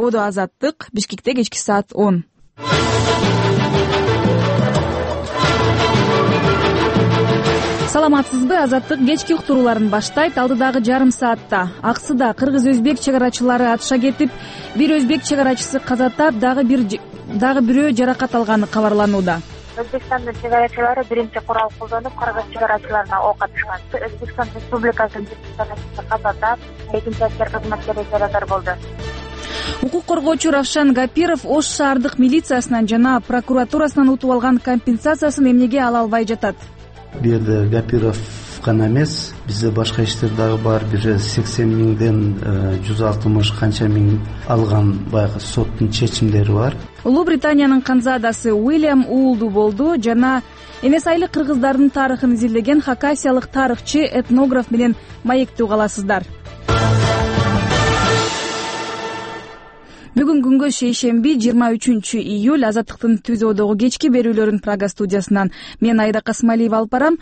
Ободо Азаттык, Бишкекте кечки саат 10. Саламатсызбы? Азаттык кечки уктурууларын баштайт. Алдыдагы жарым саатта Аксыда кыргыз-өзбек чек арачылары атышка кетип, бир өзбек чек арачысы каза тап, дагы бирөө жаракат алганы кабарланууда. Өзбекстандын чек арачылары биринчи курал колдонуп, кыргыз чек арачыларына ок атышкан. Өзбекстан Республикасынын каза тап, экинчи аскер кызматкери жаракат болду. Укук коргоочу Равшан Гапиров Ош шаардык милициясынан жана прокуратурасынан утуп алган компенсациясын эмнеге ала албай жатат? Бул жерде Гапиров гана эмес, бизде башка иштер дагы бар. Бир 80 миңден 160 канча миң алган баягы соттун чечимдери бар. Улуу Британиянын канзадасы Уильям уулду болду жана эмес айлык кыргыздардын тарыхын изилдеген хакасиялык тарыхчы, этнограф менен маектүү каласыздар. Бүгүн күнгө шейшемби 23 июль. Азаттыктын түзөөдөгү кечки берүүлөрүн Прага студиясынан мен Айда Касмалиева алып барам.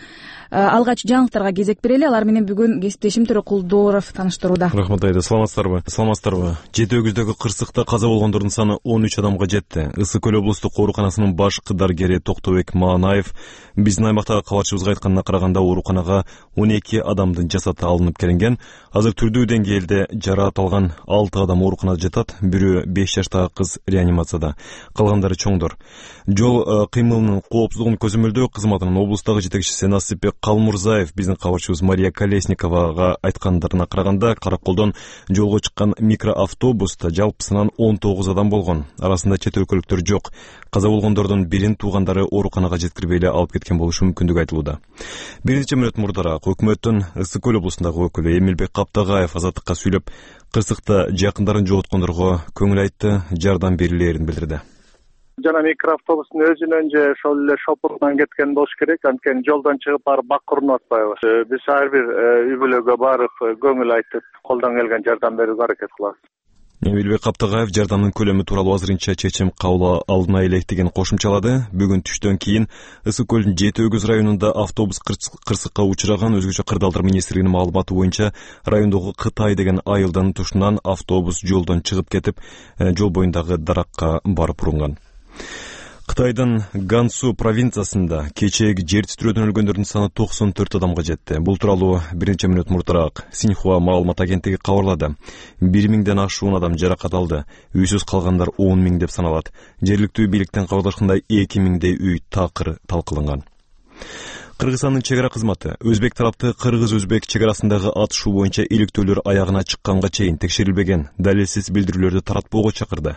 Алгач жаңылыктарга кезек берели. Алар менен бүгүн кесиптешим Төрөкулдооров таныштырууда. Рахмат Айда, саламатсыздарбы? Жети өгүздөгү кырсыкта каза болгондордун саны 13 адамга жетти. Ысык көл облустук ооруканасынын баш дарыгери Токтобек Маанаев биздин аймактагы кабарчыбызга айтканына караганда ооруканага 12 адамдын жасаты алынып келинген. Азыр түрдүү деңгээлде жараат алган 6 адам ооруканада жатат. Бирөө 5 жаштагы кыз реанимацияда, калгандары чоңдор. Жол кыймылынын коопсуздугун көзөмөлдөө кызматынын облустагы жетекчиси Насипбек Калмурзаев биздин кабарчыбыз Мария Колесниковага айткандарына караганда, Караколдон жолго чыккан микроавтобуста жалпысынан 19 адам болгон. Арасында чет өлкөлүктөр жок. Каза болгондордун бирин туугандары ооруканага жеткирбей эле алып кеткен болушу мүмкүндүгү айтылууда. Бир нече мүнөт мурдараак өкмөттүн Ысык көл облусундагы өкүлү Эмилбек Каптагаев Азаттыкка сүйлөп, кырсыкта жакындарын жоготкондорго көңүл айтты, жардам берилээрин билдирди. Жана микроавтобустун өзүнөн же ошол эле шопурунан кеткен болуш керек. Анткени жолдон чыгып барып бак урунуп атпайбыз. Биз ар бир үй бүлөгө барып көңүл айтып, колдон келген жардам берүүгө аракет кылабыз. Эмилбек Каптагаев жардамдын көлөмү тууралуу азырынча чечим кабыл алына элек деген кошумчалады. Бүгүн түштөн кийин Ысык көлдүн Жети өгүз районунда автобус кырсыкка учураган. Өзгөчө Кырдаалдар министрлигинин маалыматы боюнча, райондогу Кытай деген айылдын тушунан автобус жолдон чыгып кетип, жол боюндагы даракка барып урунган. Кытайдын Гансу провинциясында кечээги жер титирөөдөн өлгөндөрдүн саны 94 адамга жетти. Бул тууралуу бир нече мүнөт мурдараак Синьхуа маалымат агенттиги кабарлады. 1000ден ашуун адам жаракат алды. Үйсүз калгандар 10 миң деп саналат. Жергиликтүү бийликтен кабарлашкандай 2000дей үй такыр талкаланган. Кыргызстандын чек ара кызматы өзбек тарапты кыргыз-өзбек чек арасындагы атышуу боюнча иликтөөлөр аягына чыкканга чейин текшерилбеген далилсиз билдирүүлөрдү таратпоого чакырды.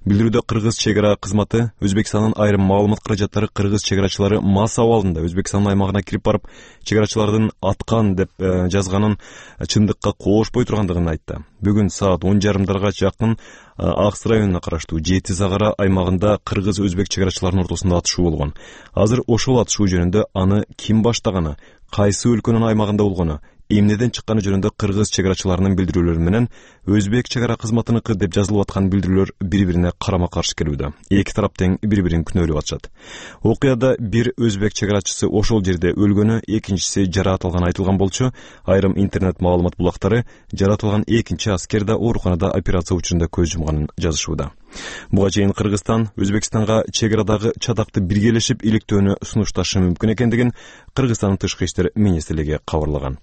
Билдирүүдө кыргыз чек ара кызматы Өзбекстандын айрым маалымат каражаттары кыргыз чек арачылары мас абалында Өзбекстандын аймагына кирип барып, чек арачылардын аткан деп жазганын чындыкка коошпой тургандыгын айтты. Бүгүн саат 10:30 жакын Акс районуна караштуу Жети Загара аймагында кыргыз-өзбек чек арачыларынын ортосунда атышуу болгон. Азыр ошол атышуу жөнүндө аны ким баштаганы, кайсы өлкөнүн аймагында болгону, эмнеден чыкканы жөнүндө кыргыз чек арачыларынын билдирүүлөрү менен өзбек чек ара кызматыныкы деп жазылып аткан билдирүүлөр бири-бирине карама-каршы келүүдө. Эки тарап тең бири-бирин күнөөлөп атышат. Окуяда бир өзбек чек арачысы ошол жерде өлгөнү, экинчиси жараат алганы айтылган болчу. Айрым интернет маалымат булактары жараат алган экинчи аскер да ооруканада операция учурунда көз жумганын жазышууда. Буга чейин Кыргызстан Өзбекстанга чек арадагы чатакты биргелешип иликтөөнү сунушташы мүмкүн экендигин Кыргызстандын тышкы иштер министрлиги кабарлаган.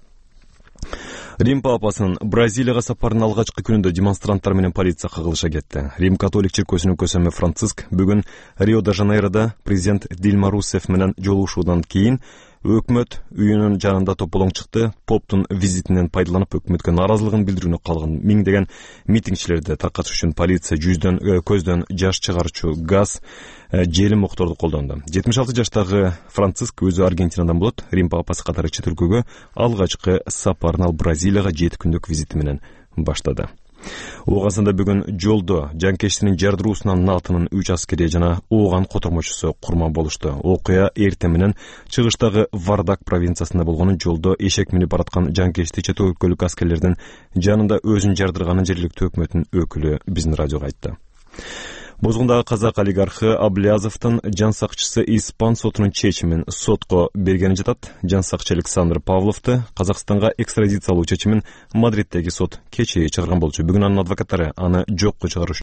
Рим папасынын Бразилияга сапарынын алгачкы күнүндө демонстранттар менен полиция кагылыша кетти. Рим католик чиркөөсүнүн көсөмү Франциск бүгүн Рио-де-Жанейрода президент Дилма Русефф менен жолугушуудан кийин өкмөт үйүнүн жанында тополоң чыкты. Поптун визитинен пайдаланып өкмөткө нааразылыгын билдирүүнү калган миңдеген митингчилерди таркатыш үчүн полиция көздөн жаш чыгарчу газ, желим окторду колдонду. 76 жаштагы Франциск өзү Аргентинадан болот. Рим папасы катары чет өлкөгө алгачкы сапарын ал Бразилияга 7 күндүк визити менен баштады. Оогасында бүгүн жолдо жанкечтинин жардыруусунан натынын 3 аскери жана ооган котормочусу курман болушту. Окуя эртең менен чыгыштагы Вардак провинциясында болгонун, жолдо эшек минип бараткан жанкечти чет өлкөлүк аскерлердин жанында өзүн жардырганын жергиликтүү өкмөттүн өкүлү биздин радиого айтты. Бозгундагы казак олигархы Аблязовдун жан сакчысы Испан сотунун чечимин сотко бергени жатат. Жан сакчы Александр Павловду Казакстанга экстрадициялоо чечимин Мадриттеги сот кечээ чыгарган болчу. Бүгүн анын адвокаттары аны жокко чыгаруш